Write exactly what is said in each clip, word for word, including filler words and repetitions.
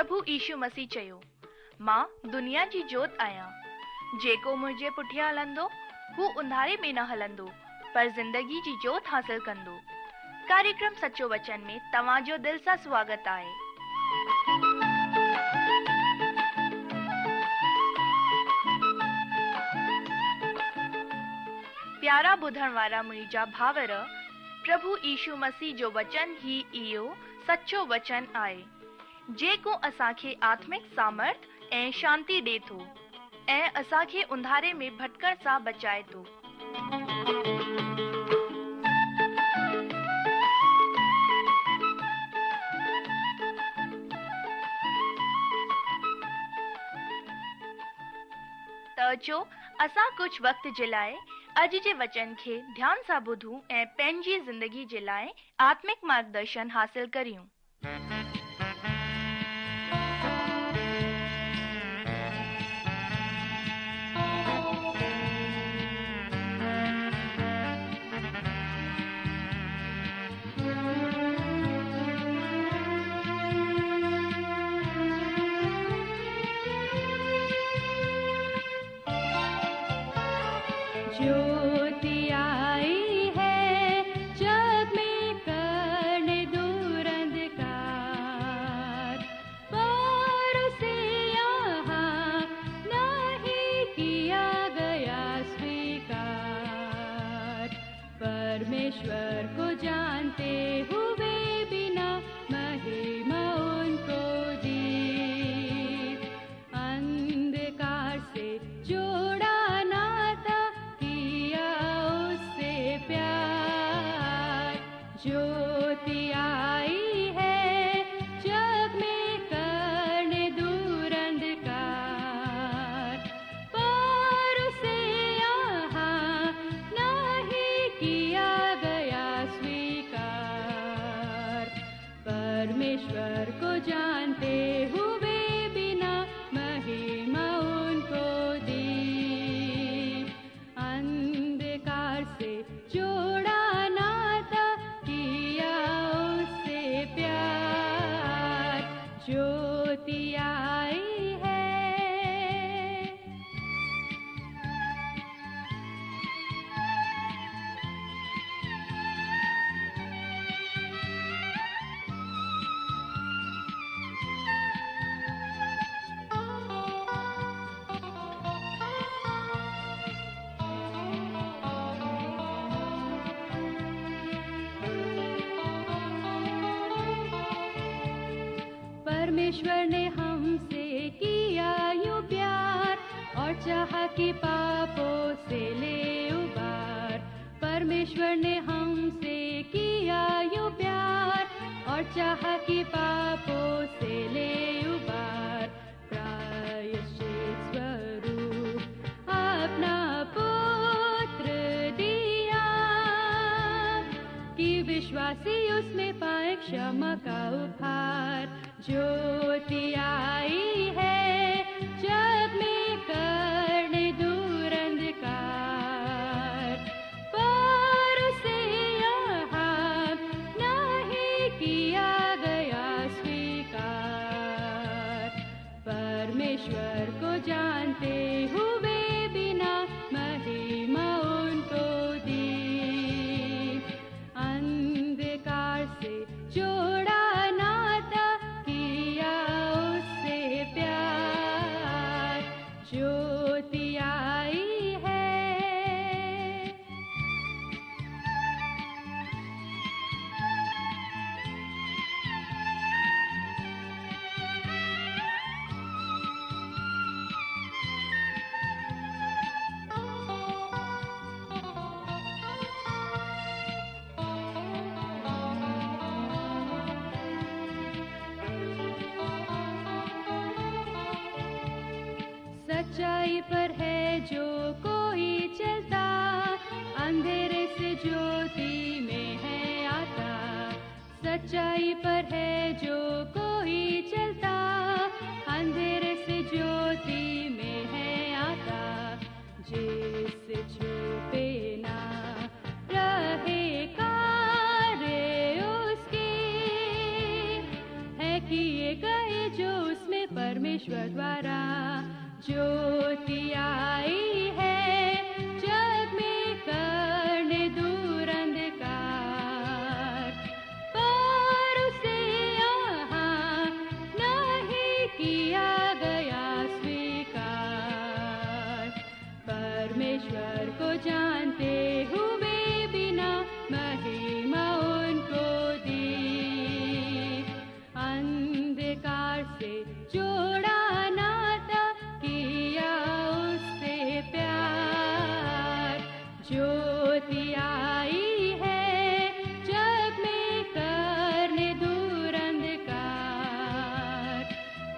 प्रभु यीशु मसीह चयो, मां दुनिया जी जोत आहियां। जेको मुंहिंजे पुठियां हलंदो हू अंधारे में न हलंदो, पर ज़िंदगी जी जोत हासिल कंदो। कार्यक्रम सचो वचन में तव्हांजो दिल सां स्वागत आहे। प्यारा ॿुधण वारा मुंहिंजा भावर, प्रभु यीशु मसीह जो वचन ही इहो सचो वचन आहे, जेको असांखे आत्मिक सामर्थ ऐं शांति ॾिए थो ऐं असांखे अंधारे में भटकण सां बचाए थो। त अचो असां कुझु वक़्त जे लाइ अॼु जे वचन खे ध्यान सां ॿुधूं ऐं पंहिंजी ज़िंदगी जे लाइ आत्मिक मार्गदर्शन हासिल करियूं। ज्योति आई है जग में करने दूर अंधकार, पर उसे यहाँ नहीं किया गया स्वीकार। परमेश्वर को जानते हुए बिना महिमा उनको दी, अंधकार से जोड़ा नाता प्यार। ज्योति आई है जग में करने दूर अंधकार, पर उसे यहाँ नहीं किया गया स्वीकार। परमेश्वर को जानते हुए बिना महिमा उनको दी, अंधकार से जोड़ा नाता किया उससे प्यार। ज्योति आई है। परमेश्वर ने हमसे किया यूं प्यार, और चाहा कि पापों से ले उबार। परमेश्वर ने हमसे किया यूं प्यार, और चाहा कि पापों से ले उबार। प्रायश्चित स्वरूप अपना पुत्र दिया, कि विश्वासी उसमें पाए क्षमा का उपहार। ज्योति आई है जग में करने दूर अंधकार, पर उसे यहाँ नहीं किया गया स्वीकार। परमेश्वर को जानते हुए बिना महिमा उनको दी, अंधकार से जोड़ा नाता किया उससे प्यार। ज्योति आई है। सच्चाई पर है जो कोई चलता, अंधेरे से ज्योति में है आता। सच्चाई पर है जो कोई चलता, अंधेरे से ज्योति में है आता। जिससे छुपे ना रहे कार्य उसके, है कि ये किए गए जो उसमें परमेश्वर द्वारा। ज्योति आई है जग में करने दूर अंधकार, पर उसे यहाँ नहीं किया गया स्वीकार। परमेश्वर को जानते हुए बिना महिमा उनको दी, अंधकार से जोड़ा नाता किया उससे प्यार। ज्योति आई है जग में करने दूर अंधकार,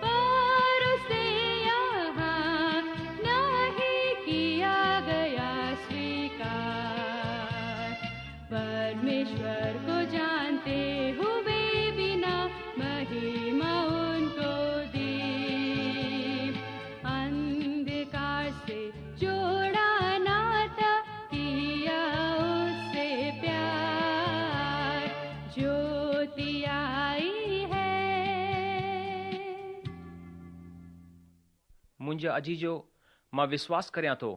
पर उसे यहाँ नहीं किया गया स्वीकार। परमेश्वर को जानते हुए बिना महिमा उनको दी, अंधकार से जोड़ा नाता किया उससे प्यार। ज्योति आई है। मुंहिंजा अजीजो, मां विश्वास करियां थो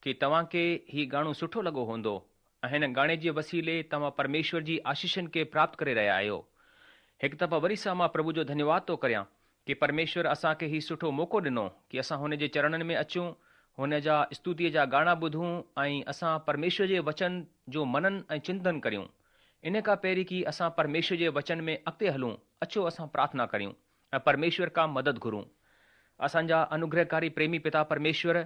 की तव्हांखे ही गाणो सुठो लॻो हूंदो ऐं हिन गाणे जे वसीले तव्हां परमेश्वर जी आशीषनि खे प्राप्त करे रहिया आहियो। हिकु दफ़ा वरी सां मां प्रभु जो धन्यवाद थो करियां की परमेश्वर असांखे ही सुठो मौक़ो ॾिनो की असां हुन जे चरणनि में अचूं, हुन जा स्तुतीअ जा गाणा ॿुधूं ऐं असां परमेश्वर जे वचन जो मनन ऐं चिंतन करियूं। इन खां पहिरीं की असां परमेश्वर जे वचन में अॻिते हलूं, अचो असां प्रार्थना करियूं ऐं परमेश्वर खां मदद घुरूं। असांजा अनुग्रहकारी प्रेमी पिता परमेश्वर,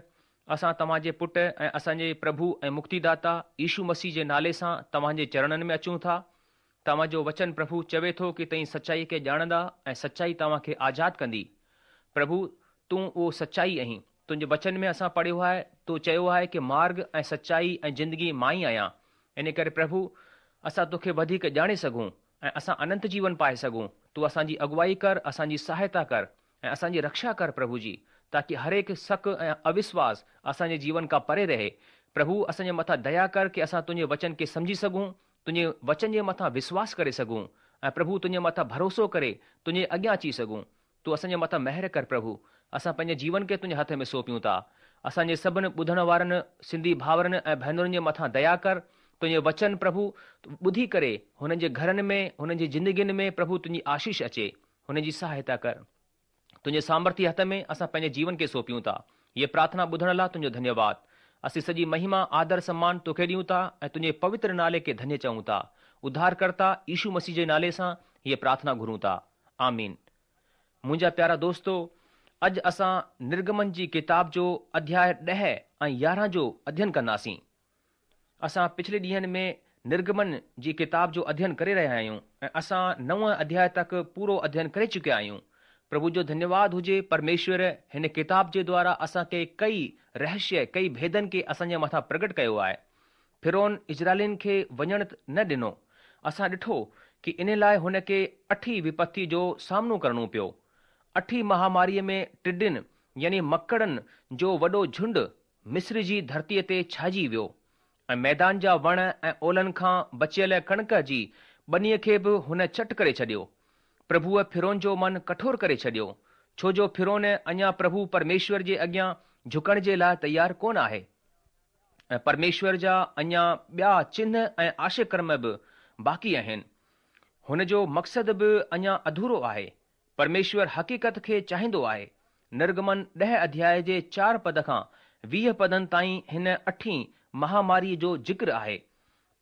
असां तव्हांजे पुट ऐं असांजे प्रभु ऐं मुक्तिदाता यीशु मसीह जे नाले सां तव्हांजे चरणनि में अचूं था। तव्हांजो वचन प्रभु चवे थो की तव्हीं सचाई खे ॼाणंदा ऐं सचाई तव्हांखे आज़ाद कंदी। प्रभु, तूं उहो सचाई आहीं। तुंहिंजे वचन में असां पढ़ियो आहे, तो चयो आहे की मार्ग ऐं सचाई ऐं ज़िंदगी मां ई आहियां। इन करे प्रभु, असां तोखे वधीक ॼाणे सघूं ऐं असां अनंत जीवन पाए सघूं। तूं असांजी अगुवाई कर, असांजी सहायता कर ऐं असांजी रक्षा कर प्रभु जी, ताकी हर हिकु शक ऐं अविश्वास असांजे जीवन खां परे रहे। प्रभु, असांजे मथां दया कर की असां तुंहिंजे वचन खे सम्झी सघूं, तुंहिंजे वचन जे मथां विश्वास करे सघूं ऐं प्रभु तुंहिंजे मथां भरोसो करे तुंहिंजे अॻियां अची सघूं। तूं असांजे मथां महिर कर प्रभु। असां पंहिंजे जीवन खे तुंहिंजे हथ में सौंपियूं था। असांजे सभिनी ॿुधण वारनि सिंधी भाउरनि ऐं भेनरुनि जे मथां दया कर। तुंहिंजो वचन प्रभु ॿुधी करे हुननि जे घरनि में, हुननि जी ज़िंदगियुनि में प्रभु तुंहिंजी आशीष अचे, हुननि जी सहायता कर। तुंहिंजे सामर्थ्य हथ में असां पंहिंजे जीवन खे सौंपियूं था। हीअ प्रार्थना ॿुधण लाइ तुंहिंजो धन्यवाद। असीं सॼी महिमा, आदर, सम्मान तोखे ॾियूं था ऐं तुंहिंजे पवित्र नाले खे धन्य चऊं था। उद्धारकर्ता यीशु मसीह जे नाले सां हीअ प्रार्थना घुरूं था, आमीन। मुंहिंजा प्यारा दोस्तो, अॼु असां निर्गमन जी किताब जो अध्याय ॾह ऐं यारहं जो अध्ययन कंदासीं। असां पिछले ॾींहंनि में निर्गमन जी किताब जो अध्ययन करे रहिया आहियूं ऐं असां नव अध्याय तक पूरो अध्ययन करे चुकिया आहियूं। प्रभु जो धन्यवाद हुजे, परमेश्वर हिन किताब जे द्वारा असांखे कई रहस्य, कई भेदनि खे असांजे मथां प्रगट कयो आहे। फिरौन इज़राइलियुनि खे वञणु न ॾिनो। असां ॾिठो की इन लाइ हुन खे अठी विपत्ति जो सामनो करिणो पियो। अठी महामारीअ में टिॾियुनि यानी मकड़नि जो वॾो झुंड मिस्र जी धरतीअ ते छाइजी वियो ऐं मैदान जा वण ऐं ओलनि खां बचियल कणिक जी ॿनीअ खे बि हुन चट करे छॾियो। प्रभुअ फिरौन जो मन कठोर करे छॾियो, छो जो फिरौन अञा प्रभु परमेश्वर जे अॻियां झुकण जे लाइ तयारु कोन आहे। ऐं परमेश्वर जा अञा ॿिया चिन्ह ऐं आशकर्म बि बाक़ी आहिनि। हुन जो मक़सदु बि अञा अधूरो आहे। परमेश्वर हक़ीक़त खे चाहींदो आहे। निर्गमन ॾह अध्याय जे चारि पद खां वीह पदनि ताईं हिन अठी महामारीअ जो ज़िक्र आहे।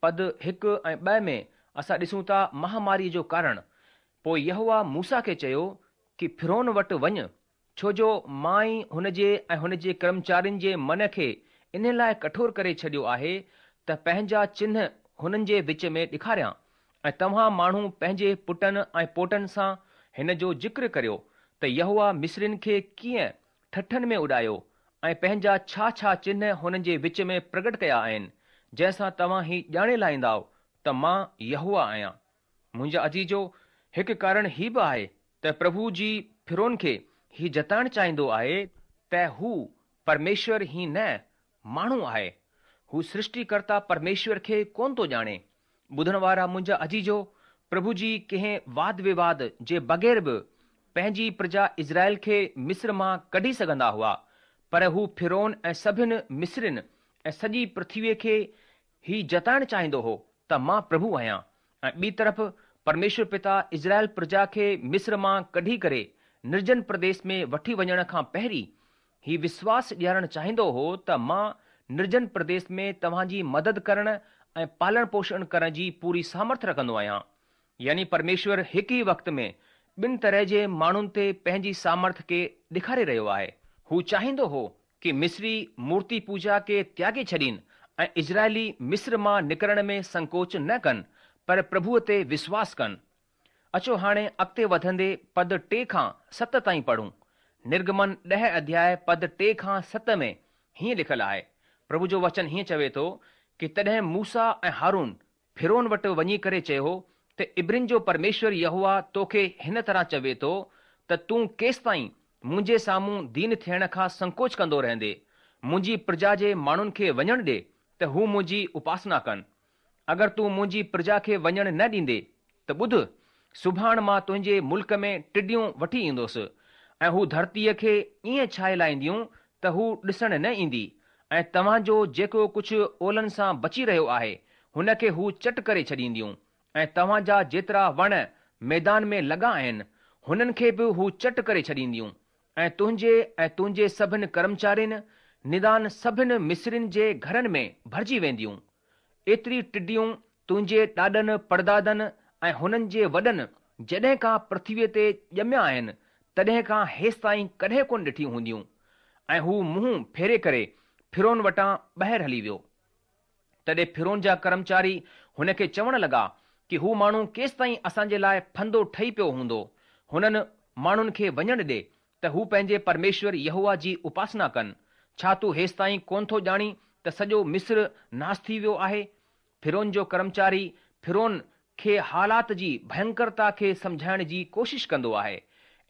पद हिकु ऐं ॿ में असां ॾिसूं था महामारीअ जो कारण। पोइ यहोवा मूसा खे चयो की फिरौन वटि वञ, छो जो मां ई हुन जे ऐं हुन जे कर्मचारियुनि जे मन खे इन लाइ कठोर करे छॾियो आहे त पंहिंजा चिन्ह हुननि जे विच में ॾेखारियां ऐं तव्हां माण्हू पंहिंजे पुटनि ऐं पोटनि सां हिन जो ज़िक्र करियो त यहोवा मिस्रियुनि खे कीअं ठठनि में उॾायो ऐं पंहिंजा छा छा चिन्ह हुननि जे विच में प्रगट कया आहिनि, जंहिंसां तव्हां ही ॼाणे लाहींदव त मां यहोवा आहियां। मुंहिंजा अजीजो, हिकु कारण ही बि आहे त प्रभु जी फिरौन खे ही जताइण चाहींदो आहे त हू परमेश्वर ही न माण्हू आहे। हू सृष्टिकर्ता परमेश्वर खे कोन थो ॼाणे। ॿुधण वारा मुंहिंजा अजीजो, प्रभु जी कंहिं वाद विवाद जे बग़ैर बि پنهنجي پرجا اسرائيل کي مصر مان ڪڍي سگهندا هئا، پر هو فرعون ۽ سڀن مصرين ۽ سڄي پرٿويءَ کي هي جتائڻ چاهيندو هو ته مان پرڀو آهيان. ۽ ٻي طرف پرميشور پتا اسرائيل پرجا کي مصر مان ڪڍي ڪري نرجن پرديش ۾ وٺي وڃڻ کان پهرين هي وشواس ڏيارڻ چاهيندو هو ته مان نرجن پرديش ۾ توهان جي مدد ڪرڻ ۽ پالڻ پوشڻ ڪرڻ جي پوري سامرٿ رکندو آهيان. يعني پرميشور هڪ ئي وقت ۾ ٻن طرح جي ماڻهن تي پنهنجي سامرٿ کي ڏيکاري رهيو آهي. هو چاهيندو هو ڪه مصري مورتي پوڄا کي تياڳي ڇڏين ۽ اسرائيلي مصر مان نڪرڻ ۾ سنڪوچ نه ڪن، پر پرڀوءَ تي وشواس ڪن. اچو هاڻي اڳتي وڌندي پد ٽي کان ست تائين پڙهون. نرگمن ڏهه اڌياء پد ٽي کان ست ۾ هيئن لکيل آهي. پرڀو جو وچن هيئن چوي ٿو ڪه تڏهن موسيٰ ۽ هارون فرعون وٽ وڃي ڪري چيو ته عبرين جو پرميشور يهوه توکي هن طرح چوي ٿو ته تون ڪيستائين منهنجي سامهون دين ٿيڻ کان سنڪوچ ڪندو رهندي؟ منهنجي پرجا جي ماڻهن کي وڃڻ ڏي ته هو منهنجي اپاسنا ڪن. اگر تون منهنجي پرجا کي وڃڻ نه ڏيندي ته ٻڌ، سڀاڻ مان تنهنجي ملڪ ۾ ٽڊيون وٺي ايندس ۽ هو ڌرتيءَ کي ائين ڇائي لاهينديون ته هو ڏسڻ نه ايندي ۽ توهان جو جيڪو ڪجهه اولن سان بچي رهيو آهي هن کي هو چٽ ڪري ڇڏينديون ۽ توهان جا جيترا وڻ ميدان ۾ لڳا آهن هنن کي به هو چٽ ڪري ڇڏينديون ۽ تنهنجي ۽ تنهنجي سڀن ڪرمچارين ندان سڀن مصرين جي گهرن ۾ ڀرجي وينديون. ايتري ٽڊيون تنهنجي ڏاڏن پڙدادن ۽ هنن جي وڏن جڏهن کان پرٿويءَ تي ڄميا آهن تڏهن کان هيستائين ڪڏهن ڪونه ڏٺيون هونديون. ۽ هو منهن ڦيري ڪري فرعون وٽان ٻاهر هلي ويو. تڏهن فرعون جا ڪرمچاري هن کي چوڻ لڳا ڪه هو ماڻهو ڪيستائين اسان جي لاءِ ڦندو ٺهي پيو هوندو؟ هنن ماڻهن کي وڃڻ ڏي ته هو پنهنجي پرميشور يهوه جي اپاسنا ڪن. ڇا تون هيستائين ڪونه ٿو ڄاڻي ته سڄو مصر ناس ٿي ويو آهي؟ فرعون جو ڪرمچاري فرعون کي حالات جي ڀينڪرتا کي سمجهائڻ جي ڪوشش ڪندو آهي.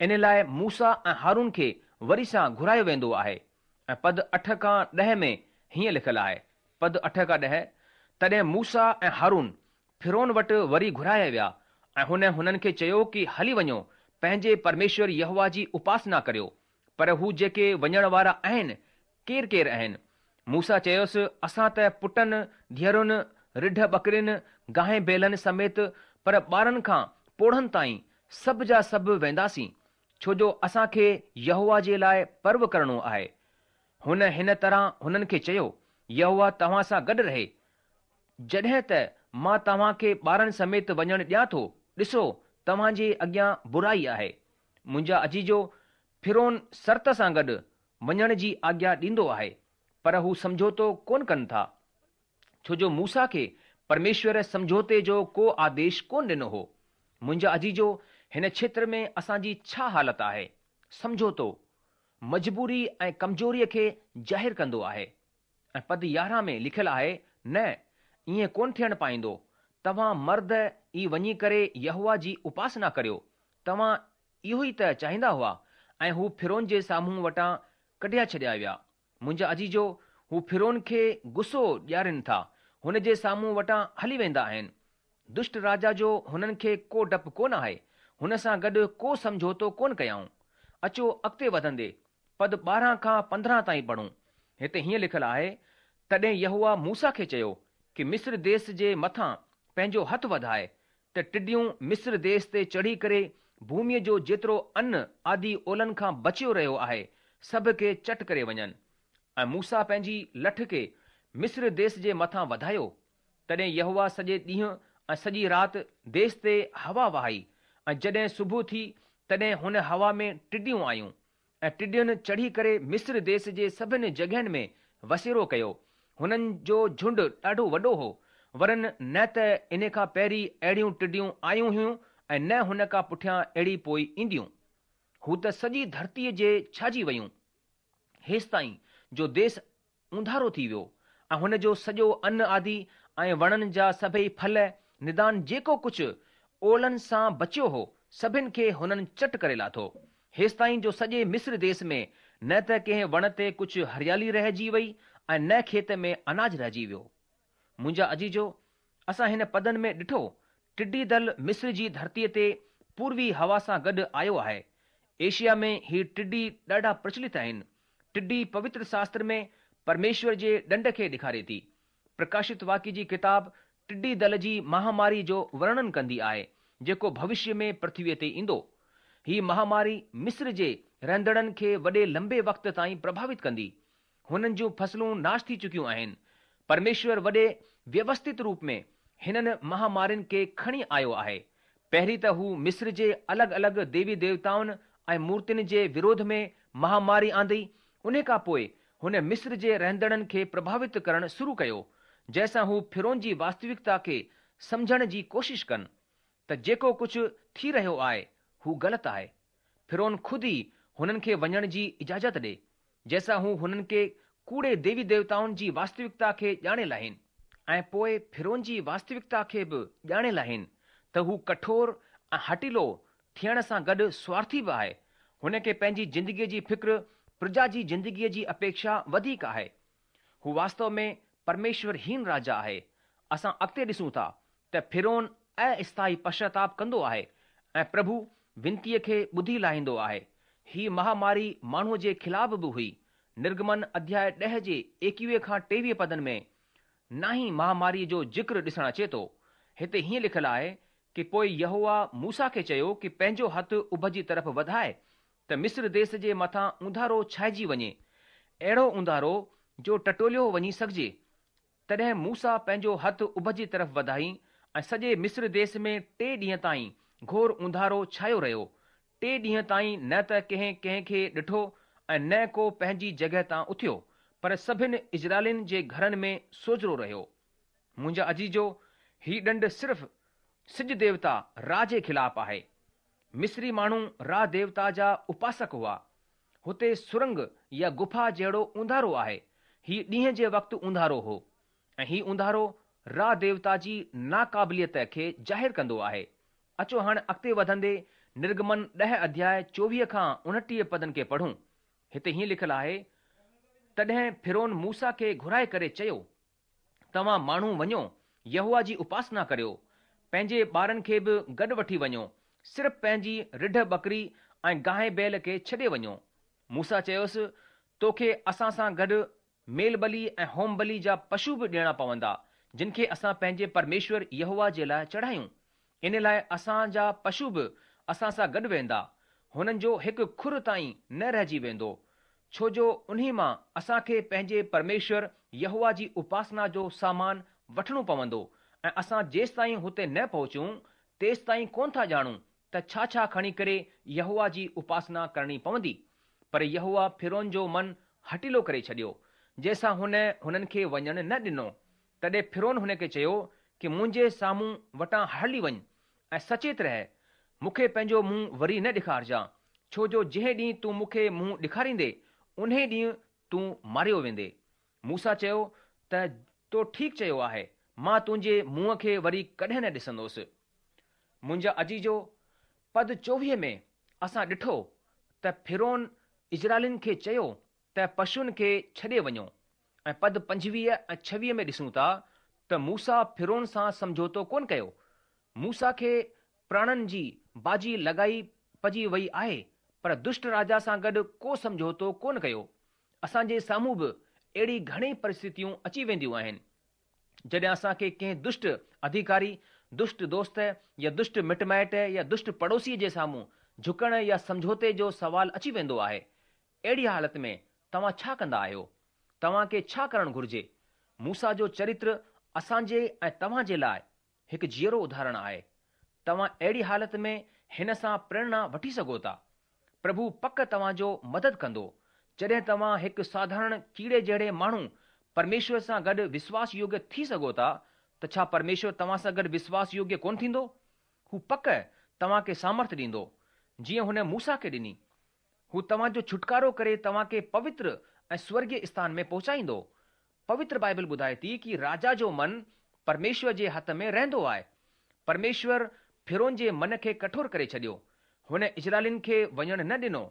ان لاءِ موسيٰ ۽ هارون کي وري سان گهرايو ويندو آهي. ۽ پد اٺ کان ڏهه ۾ هيئن لکيل آهي. پد اٺ کان ڏهه، تڏهن موسيٰ ۽ هارون فرعون وٽ وري گهرايا ويا ۽ هن هنن کي چيو ڪه هلي وڃو، پنهنجي پرميشور يهوه جي اپاسنا ڪريو، پر هو جيڪي وڃڻ وارا آهن ڪير ڪير آهن؟ موسيٰ چيس، اسان ته پٽن، ڌيئرن، رڍ ٻڪرين، گانءِ بيلن سميت پر ٻارن کان پوڙهن تائين سڀ جا سڀ وينداسين، ڇو جو اسان کي يهوه جي لاءِ پرو ڪرڻو آهي. هن هن طرح هنن کي چيو، يهوه توهان سان گڏ رهي. جڏهن ته مان توهان کي ٻارن سميت وڃڻ ڏيان ٿو، ڏسو توهان جي اڳيان برائي آهي. منهنجا عزيزو، فرعون شرط سان گڏ وڃڻ جي آگيا ڏيندو آهي، پر هو سمجهوتو ڪونه ڪن ٿا، ڇو جو موسيٰ کي پرميشور سمجهوتي جو ڪو آديش ڪونه ڏنو هو. منهنجا عزيزو، هن کيتر ۾ اسان جي ڇا حالت آهي؟ سمجهوتو مجبوري ۽ ڪمزوريءَ کي ظاهر ڪندو آهي. ۽ پد يارهن ۾ لکيل آهي، نه، ائين ڪونه ٿيڻ پائيندو. توهان مرد ئي وڃي ڪري يهوه جي اپاسنا ڪريو. توهان اهو ئي ته چاهيندا هئا. ۽ هو فرعون جي سامهون وٽان ڪڍيا ڇڏيا ويا. منهنجا عزيزو، هو فرعون کي غصو ڏيارين ٿا، هن جي سامهون وٽان هلي ويندا آهن. دشٽ راجا جو هنن کي ڪو ڊپ ڪونه آهي، هن سان گڏ ڪو سمجهوتو ڪونه ڪيائون. اچو اڳتي وڌندي پد ٻارهن کان پندرهن تائين پڙهون. هتي هيئن لکيل آهي، تڏهن يهوه موسيٰ کي چيو ڪه مصر ديش جي مٿان پنهنجو هٿ وڌائي ته ٽڊيون مصر ديش تي چڙهي ڪري ڀوميءَ جو جيترو ان آدي اولن کان بچيو رهيو آهي سڀ کي چٽ ڪري وڃن. ۽ موسيٰ پنهنجي لٺ کي مصر ديش جي مٿان وڌايو. تڏهن يهوه سڄي ڏينهن ۽ سڄي رات ديش تي هوا وهائي ۽ جڏهن صبح ٿي تڏهن هن هوا ۾ ٽڊيون آيون ۽ ٽڊين چڙهي ڪري مصر ديش جي سڀني جڳهين ۾ وسيرو ڪيو. هنن جو جهنڊ ڏاڍو وڏو هو، ورن نه ته ان کان پهرين اهڙيون ٽڊيون آيون هيون ۽ نه هن کان پٺيان اهڙي پوءِ اينديون. هو ته سڄي ڌرتيءَ جي ڇائجي ويون، هيستائين جو ديش اونڌارو ٿي ويو ۽ هن جو سڄو ان آدي ۽ وڻن جا سڀئي ڦل ندان جيڪو ڪجهه اولن سان بچيو هو سڀن کي هنن چٽ ڪري لاٿو، هيستائين جو سڄي مصر ديش ۾ نه ته ڪنهن وڻ تي ڪجهه هريالي رهجي وئي ۽ نه کيت ۾ اناج رهجي ويو. منهنجا عزيزو، اسان هن پدن ۾ ڏٺو ٽڊي دل مصر جي ڌرتيءَ تي پوروي هوا سان گڏ آيو آهي. ايشيا ۾ هي ٽڊي ڏاڍا پرچلت آهن. ٽڊي پوتر شاستر ۾ پرميشور جي ڏنڊ کي ڏيکاري ٿي. پرڪاشت واڪيه جي ڪتاب ٽڊي دل جي مهاماري جو ورڻن ڪندي آهي، جيڪو ڀوشيه ۾ پرٿويء تي ايندو. هي مهاماري مصر جي رهندڙن کي وڏي لمبي وقت تائين پرڀاوت ڪندي. هنن جون فصلون ناش ٿي چڪيون آهن. پرميشور وڏي ويوسٿت روپ ۾ هنن مهامارين کي کڻي آيو آهي. پهرين ته هو مصر جي الڳ-الڳ ديوي ديوتائن ۽ مورتين جي وروڌ ۾ مهاماري آندي. ان کان پوءِ هن مصر جي رهندڙن کي پرڀاوت ڪرڻ شروع ڪيو، جنهن سان هو فرعون جي واستوڪتا کي سمجهڻ جي ڪوشش ڪن ته جيڪو ڪجهه ٿي رهيو آهي هو غلط آهي. فرعون خود ئي هنن کي وڃڻ جي اجازت ڏي، جنهن سان هو هنن کي ڪوڙي ديوي ديوتائن جي واستوڪتا کي ڄاڻي لاهين ۽ پوءِ فرعون جي واستوڪتا کي به ڄاڻي لاهين ته هو ڪٺور ۽ هٺيلو ٿيڻ سان گڏ سوارٿي به آهي. هن کي پنهنجي زندگيء جي فڪر پرجا جي زندگيء جي اپيڪشا وڌيڪ آهي. هو واستو ۾ پرميشورهين راجا آهي. اسان اڳتي ڏسون ٿا ته فرعون اسٿائي پشچاتاپ ڪندو آهي ۽ پرڀو ونتيء کي ٻڌي لاهيندو آهي. هي مهاماري ماڻهوء جي خلاف به هئي. نرگمن اڌياء ڏهه جي ايڪويهه کان ٽيويهه پدن ۾ نائين مهاماريء جو ذڪر ڏسڻ اچي ٿو. هتي هيئن لکيل آهي ڪه پوءِ يهووا موسيٰ کي چيو ڪه پنهنجو هٿ اڀ جي طرف وڌائي ته مصر ديس جي مٿان اونڌارو ڇائجي وڃي، اهڙو اونڌارو جو ٽٽوليو وڃي سگهجي. تڏهن موسيٰ پنهنجو هٿ اڀ جي طرف وڌائي ۽ سڄي مصر ديس ۾ ٽي ڏينهن تائين گهور اونڌارو ڇايو رهيو. ٽي ڏينهن تائين نه ته ڪنهن ڪنهن کي ڏٺو ۽ نه ڪو پنهنجي جڳهه تان اٿيو، پر سڀن اسرائيلين جي گهرن ۾ سوجهرو رهيو. منهنجا عزيزو، هي ڏنڊ صرف سج ديوتا را جي خلاف آهي. مصري ماڻهو را ديوتا جا اپاسڪ هئا. هتي سرنگ يا گفا جهڙو اونڌارو آهي. هي ڏينهن جي وقت اونڌارو هو ۽ هي اونڌارو را ديوتا جي ناقابليت کي ظاهر ڪندو آهي. اچو هاڻ اڳتي وڌندي نرگمن ڏهه اڌياء چوويهه کان اڻٽيهه پدن کي پڙهون. هتي هيئن لکيل آهي، تڏهن فرعون موسيٰ کي گهرائي ڪري چيو، توهان ماڻهو وڃو، يهووا جي اپاسنا ڪريو، پنهنجي ٻارن کي به گڏ وٺي وڃو، صرف پنهنجي رڍ ٻڪري ۽ گانءِ بيل کي ڇڏي وڃو. موسيٰ چيس، توکي اسان سان گڏ ميل ٻلي ۽ هوم ٻلي جا پشو به ڏيڻا پوندا، جن کي اسان پنهنجي پرميشور يهووا جي لاءِ چڙهايون. ان لاءِ اسان جا پشو به اسان سان گڏ ويندا، هنن جو هڪ کر تائين نه رهجي ويندو، ڇو جو انهي مان اسان کي پنهنجي پرميشور يهووا جي اپاسنا جو سامان وٺڻو پوندو ۽ اسان جيستائين هتي نه پهچون تيستائين ڪونه ٿا ڄاڻون ته ڇا ڇا کڻي ڪري يهووا جي اپاسنا ڪرڻي پوندي. پر يهووا فرعون جو من هٺيلو ڪري ڇڏيو، جنهن سان هن هنن کي وڃڻ نه ڏنو. تڏهن فرعون هن کي چيو ڪه منهنجي سامهون وٽان هلي وڃ ۽ سچيت رهه، مون کي پنهنجو منهن وري نه ڏيکارجان، ڇو جو جنهن ڏينهن تون مون کي منهن ڏيکاريندي انهي ڏينهن تون ماريو ويندي. موسيٰ چيو ته تو ٺيڪ چيو آهي، مان تنهنجي منهن کي وري ڪڏهن نه ڏسندس. منهنجا عزيزو، پد چوويهه ۾ اسان ڏٺو ته فرعون اسرائيلين کي چيو ته پشن کي ڇڏي وڃو ۽ پد پنجويهه ۽ ڇويهه ۾ ڏسون ٿا ته موسيٰ فرعون سان سمجهوتو ڪونه ڪيو. موسيٰ کي پراڻن جي بازي لڳائي پئجي وئي آهي، پر دشٽ راجا سان گڏ ڪو سمجهوتو ڪونه ڪيو. اسان جي سامهون به اهڙي گهڻي پرسٿتيون اچي وينديون آهن، جڏهن اسان کي ڪنهن دشٽ اڌيڪاري، دشٽ دوست يا دشٽ مٽ مائٽ يا دشٽ پڙوسيءَ جي سامهون جهڪڻ يا سمجهوتي جو سوال اچي ويندو آهي. اهڙي حالت ۾ توهان ڇا ڪندا آهيو؟ توهان کي ڇا ڪرڻ گهرجي؟ موسيٰ جو چرتر اسان جي ۽ توهان جي لاءِ هڪ جيئرو اداهرڻ آهي. توهان اهڙي حالت ۾ هن سان پريرڻا وٺي سگهو ٿا. پرڀو پڪ توهان جو مدد ڪندو. جڏهن توهان هڪ ساڌارڻ ڪيڙي جهڙي ماڻهو پرميشور سان گڏ وشواس يوگيه ٿي سگهو ٿا، ته ڇا پرميشور توهان سان گڏ وشواس يوگيه ڪونه ٿيندو؟ هو پڪ توهان کي سامرٿ ڏيندو، جيئن هن موسيٰ کي ڏني. هو توهان جو ڇوٽڪارو ڪري توهان کي پوتر ۽ سورڳيه اسٿان ۾ پهچائيندو. پوتر بائبل ٻڌائي ٿي ڪه راجا جو من پرميشور جي هٿ ۾ رهندو آهي. پرميشور فرعون جي من کي ڪٺور ڪري ڇڏيو. هن اسرائيلين کي وڃڻ نه ڏنو.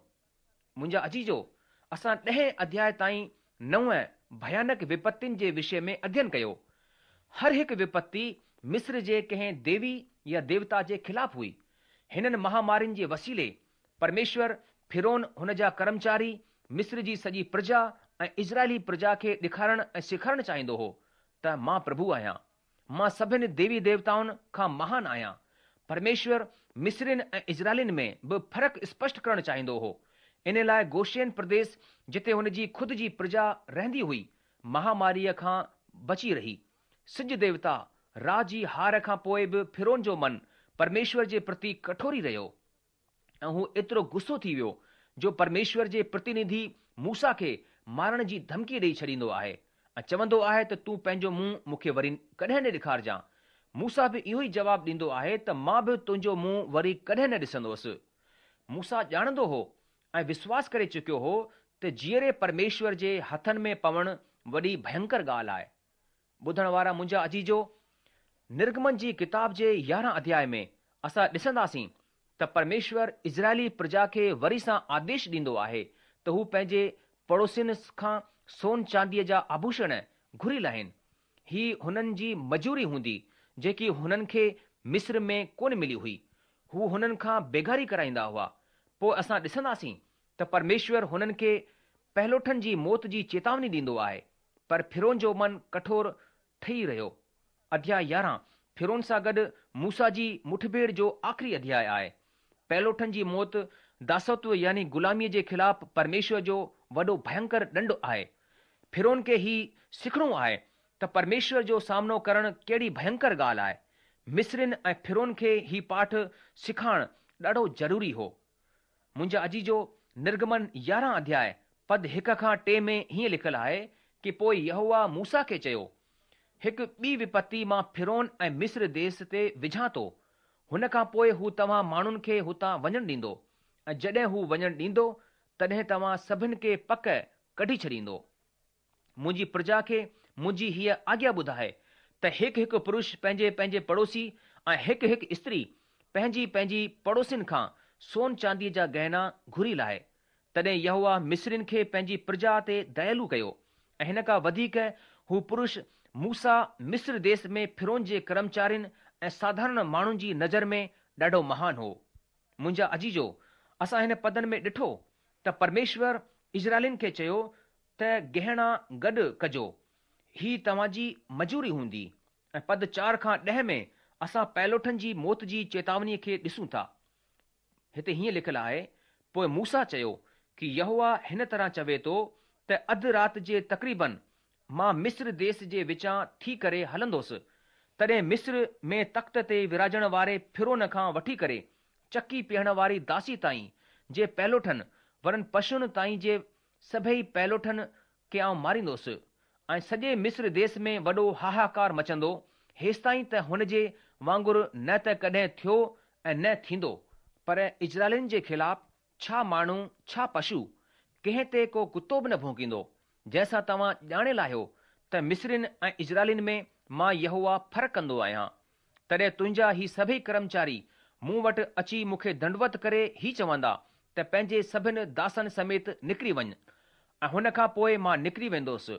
منهنجا عزيزو، اسان ڏهين اڌياءِ تائين نو ڀيانڪ وپتين جي وشي ۾ اڌيين ڪيو. هر هڪ وپتي مصر جي ڪنهن ديوي يا ديوتا جي خلاف هئي. هنن مهامارين جي وسيلي پرميشور فرعون، هن جا ڪرمچاري، مصر جي سڄي پرجا ۽ اسرائيلي پرجا کي ڏيکارڻ ۽ سيکارڻ چاهيندو هو ته مان پرڀو آهيان. مان سڀن ديوي ديوتائن کان مهان آهيان. پرميشور مصرين ۽ اسرائيلين ۾ به فرق اسپشٽ ڪرڻ چاهيندو هو. ان لاء گوشين پرديس جتي هن جي خود جي پرجا رهندي هئي، مهاماريء کان بچي رهي. سج ديوتا را جي هار کان پوء به فرعون جو من پرميشور جي پرتي ڪٺور ئي رهيو ۽ هو ايترو غصو ٿي ويو جو پرميشور جي پرتينڌي موسيٰ کي مارڻ جي ڌمڪي ڏيئي ڇڏيندو آهي ۽ چوندو آهي ته تون پنهنجو منهن مون کي وري ڪڏهن نه ڏيکارجان. موسيٰ به اهو ئي جواب ڏيندو آهي ته مان به تنهنجو منهن وري ڪڏهن نه ڏسندوس. موسيٰ ڄاڻندو هو ۽ وشواس ڪري چڪيو هو ته جيئري پرميشور جي هٿن ۾ پوڻ وڏي ڀينڪر ڳالهه آهي. ٻڌڻ وارا منهنجا عزيزو، نرگمن جي ڪتاب جي يارهن اڌياء ۾ اسان ڏسنداسين ته پرميشور اسرائيلي پرجا کي وري سان آديش ڏيندو آهي ته هو پنهنجي پڙوسين کان سون چانديء جا آڀوشڻ گهري لاهين. هي هنن جي مزوري هوندي جيڪي هنن کي مصر ۾ ڪونه ملي هئي. هو هنن کان بيگاري ڪرائيندا هئا. پوء اسان ڏسنداسين ته پرميشور هنن کي پهلوٺن جي موت جي چيتاوني ڏيندو آهي، پر فرعون جو من ڪٺور ٺهي رهيو. اڌياء يارهن فرعون سان گڏ موسيٰ جي مٺڀيڙ جو آخري اڌياء آهي. پهلوٺن جي موت داسوتو يعني غلاميء جي خلاف پرميشور جو وڏو ڀينڪر ڏنڊ آهي. فرعون کي هي سکڻو آهي ته پرميشور جو سامنو ڪرڻ ڪهڙي ڀينڪر ڳالهه آهي. مصرين ۽ فرعون کي هي پاٺ سکائڻ ڏاڍو ضروري هو. منهنجا عزيزو، نرگمن يارهن اڌياء پد هڪ کان ٽي ۾ هيئن لکيل آهي ڪي پوء يهوه موسيٰ کي چيو، هڪ ٻي وپتي مان فرعون ۽ مصر ديس تي وجهان ٿو. هن کان پوء هو توهان ماڻهن کي هتان وڃڻ ڏيندو ۽ جڏهن هو وڃڻ ڏيندو تڏهن توهان سڀن کي پڪ ڪڍي ڇڏيندو. منهنجي پرجا کي منهنجي هيء آگيا ٻڌاء ته هڪ هڪ پرش پنهنجي پنهنجي پڙوسي ۽ هڪ هڪ استري پنهنجي پنهنجي پڙوسين کان سون چانديء جا گهنا گهري لاهي. تڏهن يهوه مصرين کي پنهنجي پرجا تي ديالو ڪيو ۽ هن کان وڌيڪ هو پرش موسيٰ مصر ديس ۾ فرعون جي ڪرمچارين ۽ ساڌارڻ ماڻهن جي نظر ۾ ڏاڍو مهان هو. منهنجا عزيزو، اسان هن پدن ۾ ڏٺو ته پرميشور اسرائيلين کي چيو ته گهنا گڏ ڪجو، هي توهان جي مزوري هوندي. ۽ پد چار کان ڏهه ۾ اسان پهلوٺن جي موت جي چيتاونيء کي ڏسون ٿا. هتي هيئن لکيل آهي، پوء موسيٰ چيو ڪي يهوه هن طرح چوي ٿو ته اڌ رات جي تقريبن مان مصر ديس جي وچان ٿي ڪري هلندوس، تڏهن مصر ۾ تخت تي وراجڻ واري فرعون کان وٺي ڪري چڪي پيهڻ واري داسي تائين جي پهلوٺن ورن پشوئن تائين جي سڀئي پهلوٺن کي آئون ماريندوس ۽ سڄي مصر ديس ۾ وڏو هاهاڪار مچندو، هيستائين ته هن جي وانگر نه ته ڪڏهن ٿيو ۽ نه ٿيندو. پر اسرائيلين جي خلاف ڇا ماڻهو ڇا پشو، ڪنهن تي ڪو ڪتو به نه ڀونڪيندو، جنهن سان توهان ڄاڻي لاهيو ته مصرين ۽ اسرائيلين ۾ مان يهوه فرق ڪندو آهيان. تڏهن تنهنجا هي سڀئي ڪرمچاري مون وٽ اچي مون کي دنڊوت ڪري هي چوندا ته پنهنجي سڀن داسن سميت نڪري وڃ ۽ هن کان پوء مان نڪري ويندوس.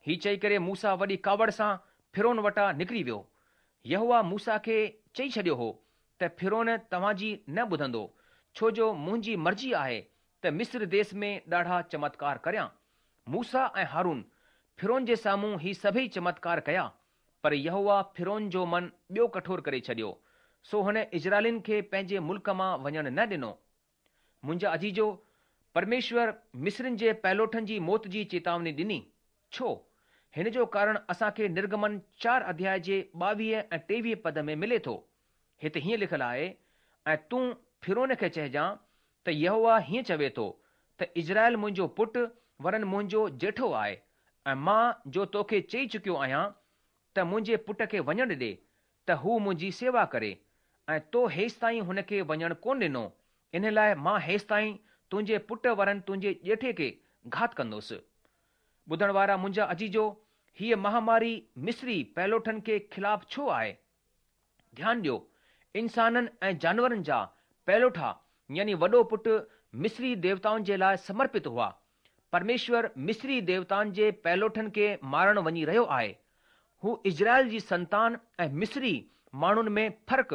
هي چئي ڪري موسيٰ وڏي ڪاوڙ سان فرعون وٽان نڪري ويو. يهوه موسيٰ کي چئي ڇڏيو هو ته فرعون توهان جي نه ٻڌندو، ڇو جو منهنجي مرضي آهي ته مصر ديس ۾ ڏاڍا چمتڪار ڪريان. موسيٰ ۽ هارون فرعون جي سامهون هي سڀئي چمتڪار ڪيا، پر يهوه فرعون جو من ٻيو ڪٺور ڪري ڇڏيو، سو هن اسرائيلين کي پنهنجي ملڪ مان وڃڻ نه ڏنو. منهنجا عزيزو، پرميشور مصرين جي پهلوٺن جي موت جي چيتاوني ڏني. ڇو؟ هن جو ڪارڻ اسان کي نرگمن چار اڌياء جي ٻاويهه ۽ ٽيويهه پد ۾ ملي ٿو. هتي هيئن لکيل آهي، ۽ تون فرعون کي چئجان ته يهوه هيئن چوي ٿو ته اسرائيل منهنجو پٽ ورن منهنجو ڄيٺو آهي ۽ مان جو توکي چئي چڪيو آهيان ته منهنجي پٽ کي وڃڻ ڏي ته هو منهنجي سيوا ڪري ۽ تو هيستائين هن کي وڃڻ ڪونه ڏنو، ان لاء مان هيستائين تنهنجي پٽ ورن تنهنجي ڄيٺي کي گهات ڪندوس. ٻڌڻ وارا منهنجا عزيزو، هيء مهاماري مصري پهلوٺن کي خلاف ڇو آهي؟ ڌيان ڏيو، انسانن ۽ جانورن جا پهلوٺا يعني وڏو پٽ مصري ديوتائن جي لاء سمرپت هئا. پرميشور مصري ديوتائن جي پهلوٺن کي مارڻ وڃي رهيو آهي. هو اسرائيل جي سنتان ۽ مصري ماڻهن ۾ فرق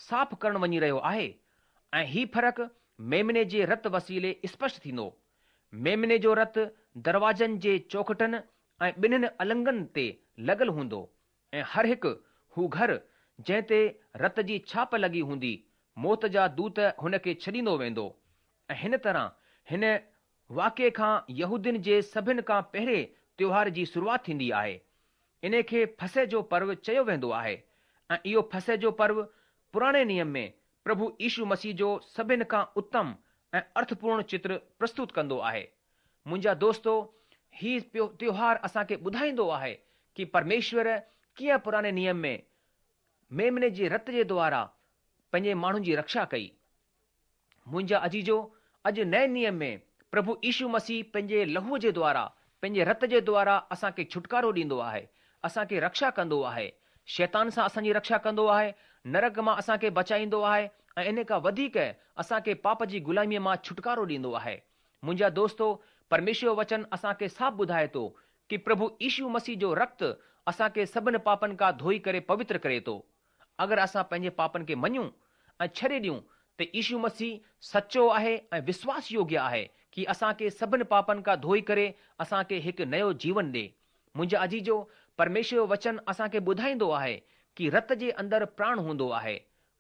صاف ڪرڻ وڃي رهيو آهي ۽ هي فرق ميمني جي رت وسيلي اسپشٽ ٿيندو. ميمني جو رت دروازن جي چوکٽن ۽ ٻنهن النگن تي لڳل هوندو ۽ هر هڪ هو گهر جنهن تي رت جي ڇاپ لڳي هوندي موت جا دوت هن کي ڇڏيندو ويندو. ۽ هن طرح هن واقعي کان يهودين جي سڀن کان پهرين تيوهار جي شروعات ٿيندي آهي. ان کي فسح جو پرو چيو ويندو آهي ۽ اهو فسح جو پرو پراڻي نيم ۾ پرڀو يشو مسيح جو سڀن کان اتم ۽ ارٿپورڻ چتر پرستت ڪندو آهي. منهنجا دوستو، هي تيوهار اسان کي ٻڌائيندو آهي ڪه پرميشور ڪيئن پراڻي نيم ۾ ميمني جي رت جي دوارا پنهنجي ماڻهن جي رڪشا ڪئي. منهنجا عزيزو، اڄ نئين نيم ۾ پرڀو يشو مسيح پنهنجي لهوءَ جي دوارا، پنهنجي رت جي دوارا اسان کي ڇوٽڪارو ڏيندو آهي، اسان کي رڪشا ڪندو آهي، شيطان سان اسان جي رڪشا ڪندو آهي، نرڪ مان اسان کي بچائيندو آهي ۽ ان کان وڌيڪ اسان کي پاپ جي غلاميءَ مان ڇوٽڪارو ڏيندو آهي. منهنجا دوستو، پرميشور وچن اسان کي صاف ٻڌائي ٿو ڪه پرڀو يشو مسيح جو رڪت اسان کي سڀن پاپن کان ڌوئي ڪري پوتر ڪري ٿو. اگر اسان پنهنجي پاپن کي مڃون ۽ ڇڏي ڏيون ته يشو مسيح سچو آهي ۽ وشواس يوگيه آهي ڪه اسان کي سڀن پاپن کان ڌوئي ڪري اسان کي هڪ نيو جيون ڏي. منهنجا عزيزو، پرميشور وچن اسان کي ٻڌائيندو آهي ڪه رت جي اندر پراڻ هوندو آهي.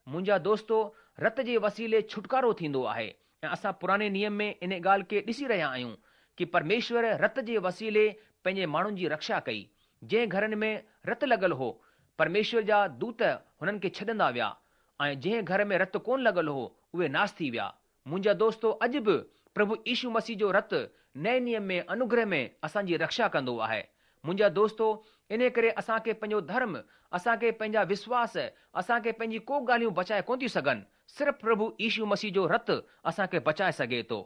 منهنجا دوستو، رت جي وسيلي ڇوٽڪارو ٿيندو آهي ۽ اسان پراڻي نيم ۾ ان ڳالهه کي ڏسي رهيا آهيون ڪه پرميشور رت جي وسيلي پنهنجي ماڻهن جي رڪشا ڪئي. جنهن گهرن ۾ رت لڳل هو، پرميشور جا دوت هنن کي ڇڏندا ويا ۽ جنهن گهر ۾ رت ڪونه لڳل هو اهي ناش ٿي ويا. منهنجا دوستو، اڄ به پرڀو يشو مسيح جو رت نئين نيم ۾ انوگره ۾ اسان جي رڪشا ڪندو آهي. منهنجا دوستو، ان ڪري اسان کي پنهنجو ڌرم، اسان کي پنهنجا وشواس، اسان کي پنهنجي ڪو ڳالهيون بچائي ڪونه ٿيون سگهن. صرف پرڀو يشو مسيح جو رت اسان کي بچائي سگهي ٿو.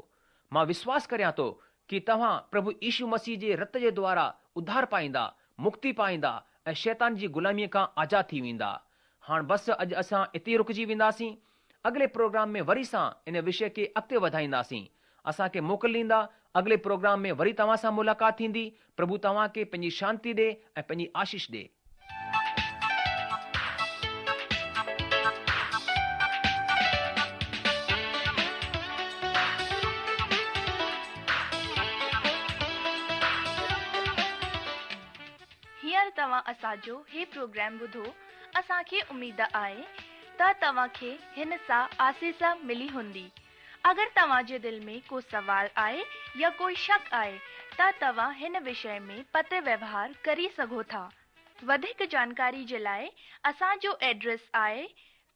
مان وشواس ڪريان ٿو ڪه توهان پرڀو يشو مسيح جي رت جي دوارا اڌار پائيندا، مڪتي پائيندا ۽ شيطان جي غلاميءَ کان آزاد ٿي ويندا. هاڻ بس اڄ اسان اتي رڪجي وينداسين. اڳلي پروگرام ۾ وري سان ان وشي کي اڳتي وڌائينداسين. اسان کي موڪل ڏيندا. اڳلي پروگرام ۾ وري توهان سان ملاقات ٿيندي. پرڀو توهان کي پنهنجي شانتي ڏي ۽ پنهنجي آشيش ڏي. هينئر توهان اسان جو هي پروگرام ٻڌو. اسان کي اميد آهي ته توهان کي هن سان آسيس ملي هوندي. اگر توهان جي دل ۾ ڪو سوال آهي يا ڪوئي شڪ آهي ته توهان هن وشي ۾ پتر ويوهار ڪري سگهو ٿا. وڌيڪ جانڪاري جي لاءِ اسان جو ايڊريس آهي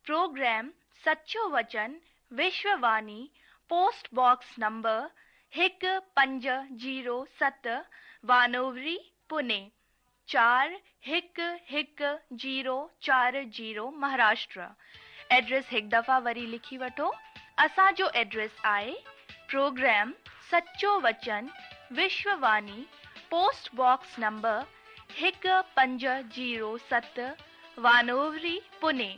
پروگرام سچو وچن، وشوواني، پوسٽ باڪس نمبر هڪ پنج زيرو ست، وانووري، پوني چار هڪ هڪ زيرو چار زيرو، مهاراشٽر. ايڊريس هڪ دفعا وري لکي وٺو. اسان جو ايڊريس آهي پروگرام سچو وچن، وشوواني، پوسٽ باڪس نمبر هڪ پنج زيرو ست، وانووري، پوني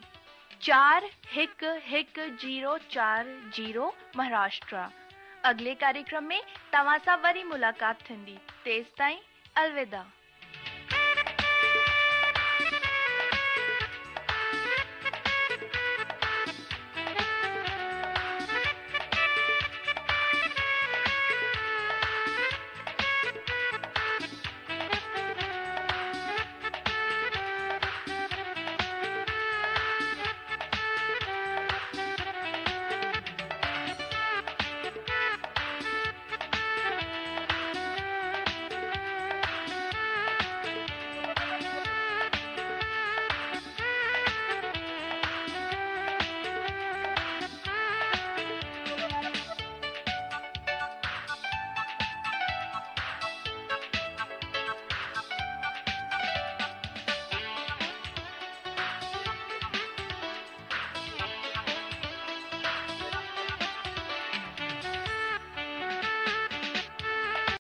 چار هڪ هڪ زيرو چار زيرو، مهاراشٽر. اڳلي ڪاريڪرم ۾ توهان سان وري ملاقات ٿيندي. تيس تائين الوداع.